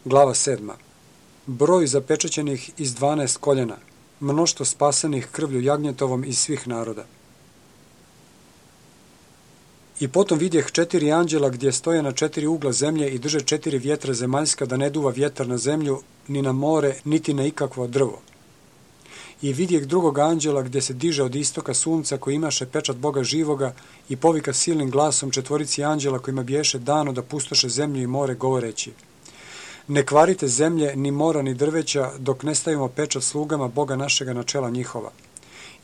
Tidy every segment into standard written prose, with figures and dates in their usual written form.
Glava 7. Broj zapečaćenih iz 12 koljena, mnoštvo spasenih krvlju jagnjetovom iz svih naroda. I potom vidjeh 4 anđela gdje stoje na 4 ugla zemlje i drže 4 vjetra zemaljska da ne duva vjetar na zemlju, ni na more, niti na ikakvo drvo. I vidjeh drugog anđela gdje se diže od istoka sunca koji imaše pečat Boga živoga i povika silnim glasom 4 anđela kojima biješe dano da pustoše zemlju i more govoreći: ne kvarite zemlje, ni mora, ni drveća, dok ne stavimo pečat slugama Boga našega na čela njihova.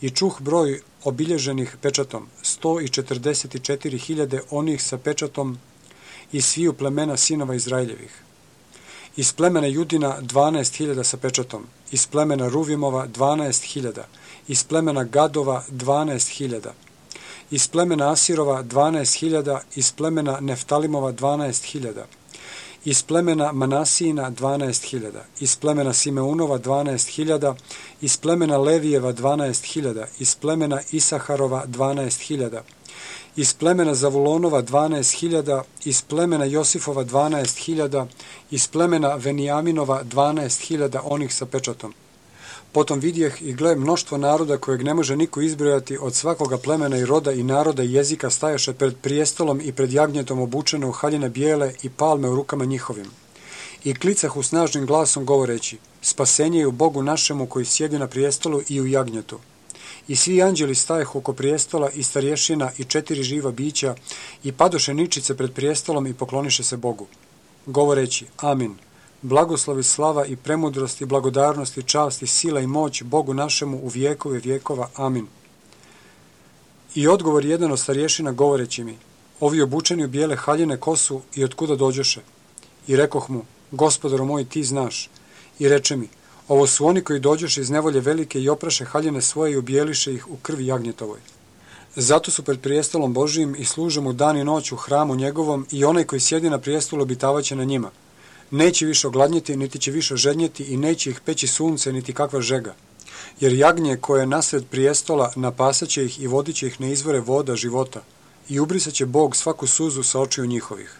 I čuh broj obilježenih pečatom, 144.000 onih sa pečatom iz sviju plemena sinova Izraeljevih. Iz plemena Judina 12.000 sa pečatom, iz plemena Ruvimova 12.000, iz plemena Gadova 12.000, iz plemena Asirova 12.000, iz plemena Neftalimova 12.000, iz plemena Manasijina 12.000, iz plemena Simeunova 12.000, iz plemena Levijeva 12.000, iz plemena Isaharova 12.000, iz plemena Zavulonova 12.000, iz plemena Josifova 12.000, iz plemena Venijaminova 12.000 onih sa pečatom. Potom vidjeh i gle mnoštvo naroda kojeg ne može niko izbrojati, od svakoga plemena i roda i naroda i jezika stajaše pred prijestolom i pred jagnjetom obučene u haljine bijele i palme u rukama njihovim. I klicahu snažnim glasom govoreći: spasenje je u Bogu našemu koji sjedi na prijestolu i u jagnjetu. I svi anđeli stajehu oko prijestola i starješina i 4 živa bića i padoše ničice pred prijestolom i pokloniše se Bogu, govoreći: amin. Blagoslovi, slava i premudrost i blagodarnost i čast i sila i moć Bogu našemu u vjekove vjekova. Amin. I odgovor jedan od starješina govoreći mi: ovi obučeni u bijele haljine ko su i otkuda dođoše? I rekoh mu: gospodaru moj, ti znaš. I reče mi: ovo su oni koji dođoše iz nevolje velike i opraše haljine svoje i objeliše ih u krvi jagnjetovoj. Zato su pred prijestolom Božijim i služe mu dan i noć u hramu njegovom, i onaj koji sjedi na prijestolu obitavaće na njima. Neće više ogladnjeti, niti će više žednjeti, i neće ih peći sunce, niti kakva žega. Jer jagnje koje je nasred prijestola napasaće ih i vodit će ih na izvore voda života, i ubrisat će Bog svaku suzu sa očiju njihovih.